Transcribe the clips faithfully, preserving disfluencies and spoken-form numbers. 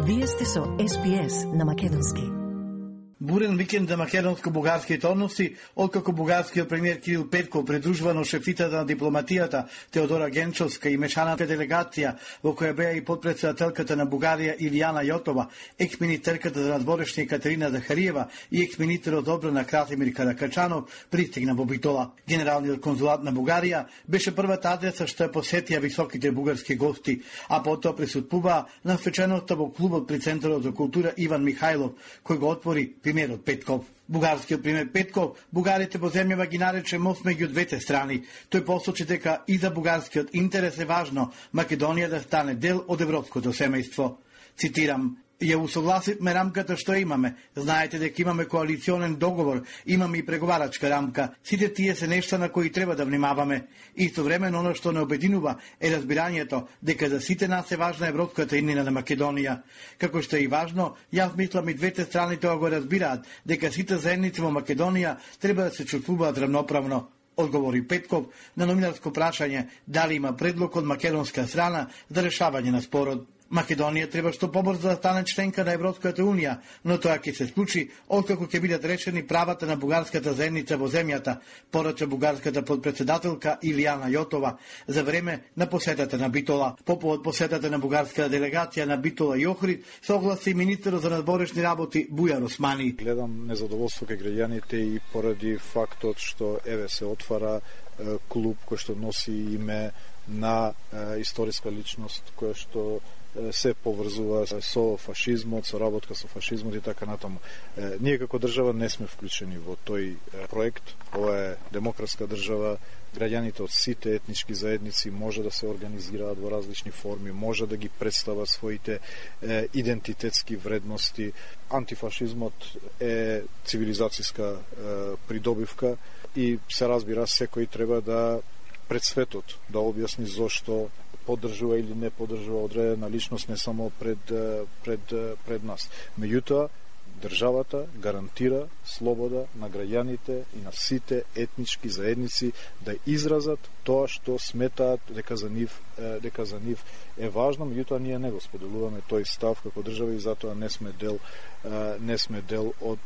Вие сте со Ес Би Ес на македонски. Бурен викенд за македонско-бугарските односи, откако бугарскиот премиер Кирил Петков придружувано шефитата на дипломатијата Теодора Генчовска и мешаната делегација во која беа и подпредседателката на Бугарија Илијана Јотова, екс-министерката за надворешни Катерина Захариева и екс-министерот одбрана Красимир Каракачанов пристигна во Битола. Генералниот конзулат на Бугарија беше првата адреса што ја посетија високите бугарски гости, а потоа присуствуваа на свеченоста во клубот при Центарот за култура Иван Михајлов, кој го отвори премиерот Петков. Бугарскиот премиер Петков бугарите во земјава ги нарече мост меѓу двете страни. Тој посочи дека и за бугарскиот интерес е важно Македонија да стане дел од европското семејство. Цитирам: ја усогласивме рамката што имаме. Знаете дека имаме коалиционен договор, имаме и преговарачка рамка. Сите тие се нешта на кои треба да внимаваме. Истовремено оно што не обединува е разбирањето дека за сите нас е важна европската иднина на Македонија. Како што е и важно, јас мислам и двете страни тоа го разбираат, дека сите заедници во Македонија треба да се чувствуваат равноправно. Одговори Петков на новинарско прашање дали има предлог од македонска страна за решавање на спорот. Македонија треба што побрзо да стане членка на Европската унија, но тоа ќе се случи откако ќе бидат решени правата на бугарската заедница во земјата, порача бугарската подпредседателка Илијана Јотова за време на посетата на Битола. По повод посетата на бугарската делегација на Битола и Охрид се огласи министерот за надворешни работи Бујар Османи. Гледам незадоволство кај граѓаните и поради фактот што еве се отвара е, клуб кој што носи име на е, историска личност која што се поврзува со фашизмот, со работка со фашизмот и така натаму. Ние како држава не сме вклучени во тој проект. Ова е демократска држава. Граѓаните од сите етнички заедници може да се организираат во различни форми, може да ги представат своите е, идентитетски вредности. Антифашизмот е цивилизацијска е, придобивка и се разбира секој треба да пред светот да објасни зошто поддржува или не поддржува одредена личност не само пред пред пред нас. Меѓутоа државата гарантира слобода на граѓаните и на сите етнички заедници да изразат тоа што сметаат дека за нив дека за нив е важно, меѓутоа ние не го споделуваме тој став како држава и затоа не сме дел не сме дел од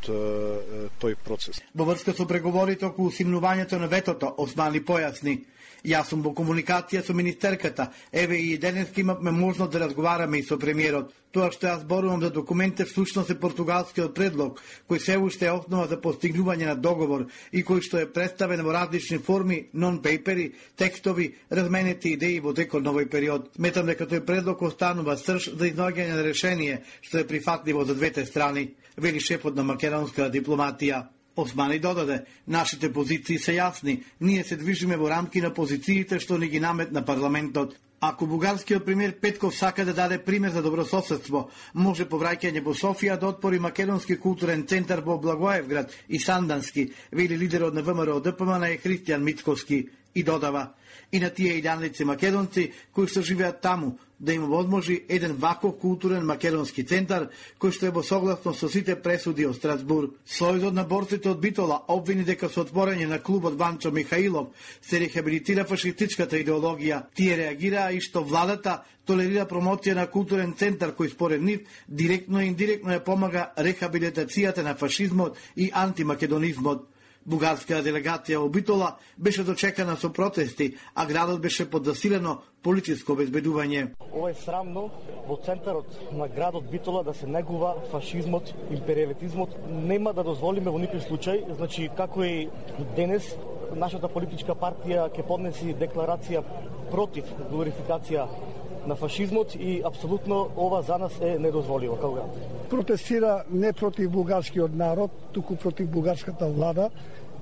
тој процес. Во врска со преговорите околу симнувањето на ветото, Османи појасни: јас сум во комуникација со министерката, еве и денеска имавме можност да разговараме и со премиерот. Тоа што јас зборувам за документите всушност е португалскиот предлог, кој се уште е основа за постигнување на договор и кој што е представен во различни форми, нон-пейпери, текстови, разменети идеи во текот на овој период. Сметам дека тој предлог останува срж за изнаоѓање на решение што е прифатливо за двете страни, вели шефот на македонска дипломатија. Османи додаде: нашите позиции се јасни, ние се движиме во рамки на позициите што ни ги наметна парламентот. Ако бугарскиот премиер Петков сака да даде пример за добрососедство, може по враќање во Софија да отвори македонски културен центар во Благоевград и Сандански, вели лидерот на ВМРО Д П М Н е Христијан Мицковски, и додава: и на тие илјадници македонци кои што живеат таму да им возможи еден ваков културен македонски центар кој што е во согласно со сите пресуди од Страсбург. Сојузот на борците од Битола обвини дека со отворање на клубот Ванчо Михаилов се рехабилитира фашистичката идеологија. Тие реагираа и што владата толерира промоција на културен центар кој според нив директно и индиректно ја помага рехабилитацијата на фашизмот и антимакедонизмот. Бугарската делегација во Битола беше дочекана со протести, а градот беше под засилено полициско обезбедување. Ова е срамно во центарот на градот Битола да се негува фашизмот, империалитизмот. Нема да дозволиме во никој случај, значи како и денес нашата политичка партија ќе поднеси декларација против глорификација на фашизмот и апсолутно ова за нас е недозволиво како град. Протестира не против бугарскиот народ, туку против бугарската влада,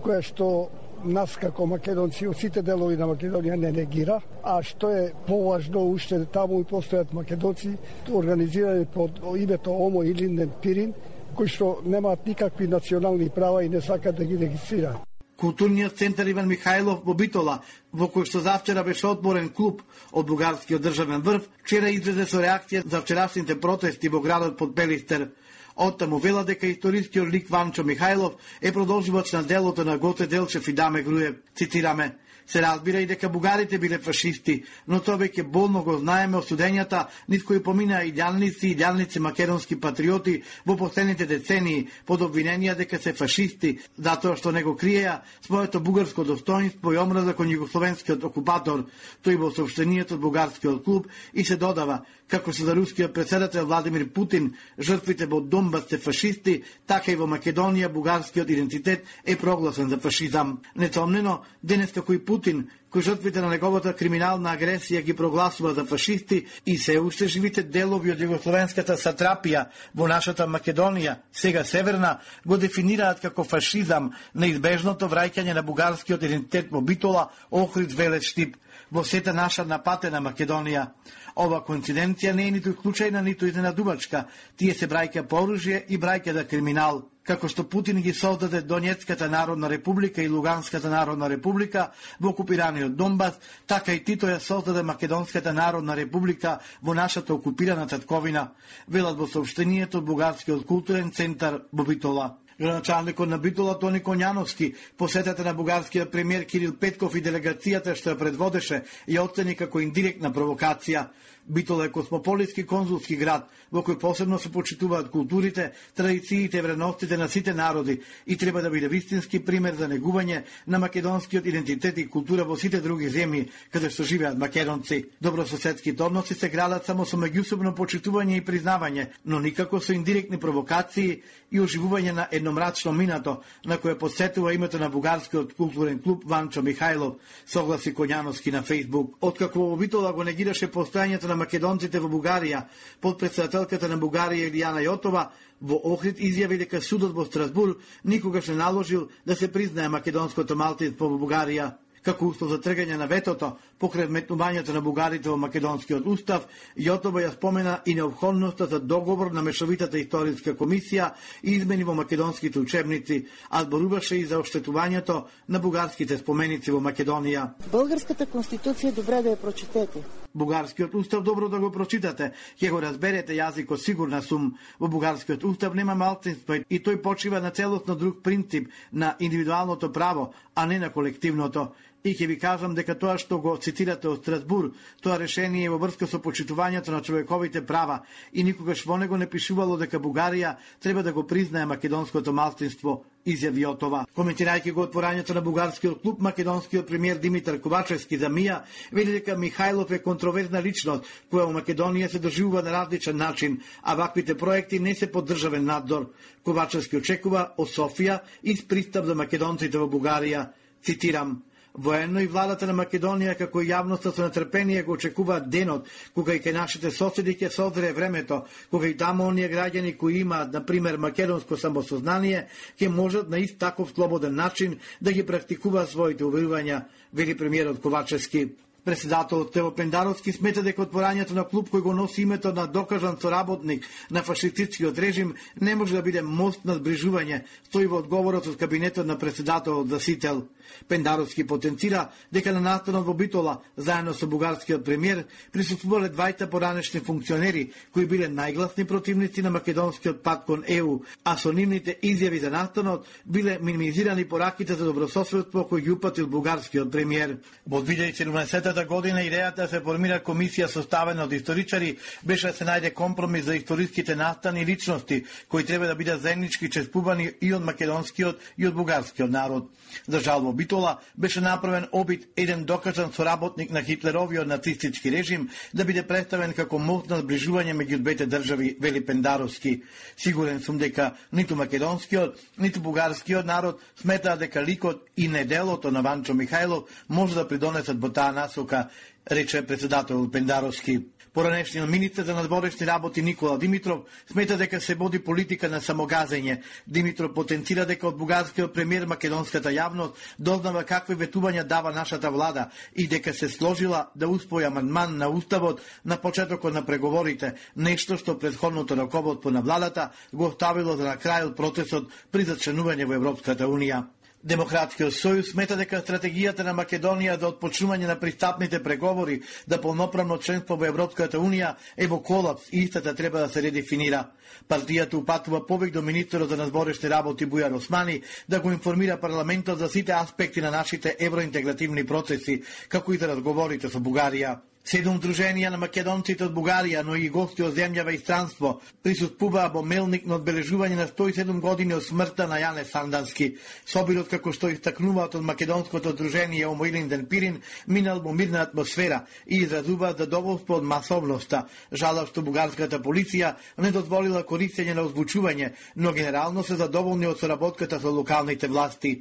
која што нас како македонци од сите делови на Македонија не негира, а што е поважно, уште таму и постојат македонци организирани под името Омо или Линден Пирин, кои што немаат никакви национални права и не сакат да ги регистрираат. Културниот центар Иван Михајлов во Битола, во кој што завчера беше отворен клуб од бугарскиот државен врв, вчера излезе со реакција за вчерашните протести во градот под Пелистер. Оттаму вела дека историскиот лик Ванчо Михајлов е продолжувач на делото на Гоце Делчев и Даме Груев. Цитираме: Се разбира и дека бугарите биле фашисти, но тоа веќе болно го знаеме од студењата низ кои поминаа идеалници и идеалници македонски патриоти во последните децении под обвиненија дека се фашисти, затоа што не го криеа своето бугарско достоинство и омраза кон југословенскиот окупатор, тој во соопштенијето од бугарскиот клуб и се додава, како се за рускиот претседател Владимир Путин, жртвите во Донбас се фашисти, така и во Македонија бугарскиот идентитет е прогласен за фашизам. Несомнено, денес како и Путин, кој жртвите на неговата криминална агресија ги прогласува за фашисти и се уште живите делови од југословенската сатрапија во нашата Македонија, сега северна, го дефинираат како фашизам неизбежното враќање на бугарскиот идентитет во Битола, Охрид, Велес, Штип, во сета наша напатена Македонија. Ова коинциденција не е ниту случајна, ниту изненадувачка. Тие се браќа по оружје и браќа да криминал. Како што Путин ги создаде Донецката народна република и Луганската народна република во окупираниот Донбас, така и Тито ја создаде Македонската народна република во нашата окупирана татковина, велат во соопштенијето од Бугарскиот културен центар во Битола. Градоначалникот на Битола Тони Коњановски посетата на бугарскиот премиер Кирил Петков и делегацијата што ја предводеше ја оцени како индиректна провокација. Битола е космополитски конзулски град, во кој посебно се почитуваат културите, традициите и вредностите на сите народи и треба да биде вистински пример за негување на македонскиот идентитет и култура во сите други земји каде што живеат македонци. Добрососедските односи се градат само со меѓусобно почитување и признавање, но никако со индиректни провокации и оживување на едномрачно минато, на кое подсетува името на бугарскиот културен клуб Ванчо Михајлов, согласи Коњановски на Фејсбук. Откако во Битола го негираше постојањето на македонците во Бугарија, подпредседателката на Бугарија Илијана Јотова во Охрид изјави дека судот во Страсбур никогаш не наложил да се признае македонското малцинство во Бугарија. Како услов за тргање на ветото, покрај вметнувањето на бугарите во македонскиот устав, Јотова ја спомена и необходноста за договор на Мешовитата историска комисија и измени во македонските учебници, а зборуваше и за оштетувањето на бугарските споменици во Македонија. Българската конституција добре да ја прочитете. Бугарскиот устав добро да го прочитате, ќе го разберете јазикот, сигурна сум. Во бугарскиот устав нема малцинство и тој почива на целосно друг принцип, на индивидуалното право, а не на колективното. И ќе ви кажам дека тоа што го цитирате од Страсбур, тоа решение е во врска со почитувањето на човековите права и никогаш во него не пишувало дека Бугарија треба да го признае македонското малцинство, изјави Јотова. Коментирајќи го отворањето на бугарскиот клуб, македонскиот премиер Димитар Ковачевски за МИА вели дека Михајлов е контроверзна личност која во Македонија се доживува на различен начин, а ваквите проекти не се под државен надзор. Ковачевски очекува од Софија из пристап за македонците во Бугарија. Цитирам: военно и владата на Македонија како и јавноста со нетрпение го очекуваат денот кога и кај нашите соседи ќе созре времето, кога и таму оние граѓани кои имаат, на пример, македонско самосознание, ќе можат на ист таков слободен начин да ги практикуваат своите уверувања, вели премиерот Ковачевски. Председателот Тево Пендаровски смета дека отворањето на клуб кој го носи името на докажан соработник на фашистичкиот режим не може да биде мост на зближување, стои во одговорот од кабинетот на председателот Засител. Пендаровски потенцира дека на настанот во Битола, заедно со бугарскиот премиер, присуствувале двајца поранешни функционери кои биле најгласни противници на македонскиот пат кон Е У, а со нивните изјави за настанот биле минимизирани пораките за добрососедство кои ги упатил бугарскиот премиер. Во две илјади и седумнаесета година идејата се формира комисија составена од историчари беше да се најде компромис за историските настани и личности кои треба да бидат заеднички чествувани и од македонскиот и од бугарскиот народ. За жал во Битола беше направен обид еден докажан соработник на Хитлеровиот нацистички режим да биде представен како мост на зближување меѓу двете држави, вели Пендаровски. Сигурен сум дека ниту македонскиот, ниту бугарскиот народ сметаа дека ликот и неделото на Ванчо Михајлов може да придонесат во таа насока, рече председател Пендаровски. Поранешниот министер за надворешни работи Никола Димитров смета дека се води политика на самогазење. Димитров потенцира дека од бугарскиот премиер македонската јавност дознава какви ветувања дава нашата влада и дека се сложила да успои амандман на уставот на почетокот на преговорите, нешто што претходното раководство на владата го оставило за на крајот процесот при зачленување во Европската унија. Демократскиот сојуз смета дека стратегијата на Македонија за отпочнување на пристапните преговори за полноправно членство во Европската унија е во колапс и истата треба да се редефинира. Партијата упатува повик до министерот за надворешни работи Бујар Османи да го информира парламентот за сите аспекти на нашите евроинтегративни процеси, како и за разговорите со Бугарија. Седум друженија на македонците од Бугарија, но и гости од земјава и странство, присуствуваа во Мелник на одбележување на сто и седум години од смртта на Јане Сандански. Собирот, како што истакнуваат од македонското дружение Омоилин Денпирин, минал во мирна атмосфера и изразуваат задоволство од масовноста. Жалат што бугарската полиција не дозволила користење на озвучување, но генерално се задоволни од соработката со локалните власти.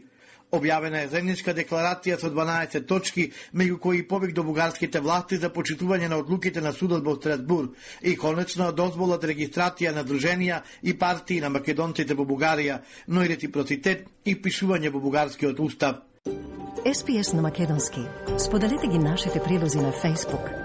Објавена е заедничка декларација со дванаесет точки, меѓу кои повик до бугарските власти за почитување на одлуките на судот во Страсбург и конечно дозволат регистрација на друженија и партии на македонците во Бугарија, но и реципроцитет и пишување во бугарскиот устав. Ес Пи Ес на македонски. Споделете ги нашите прилози на Facebook,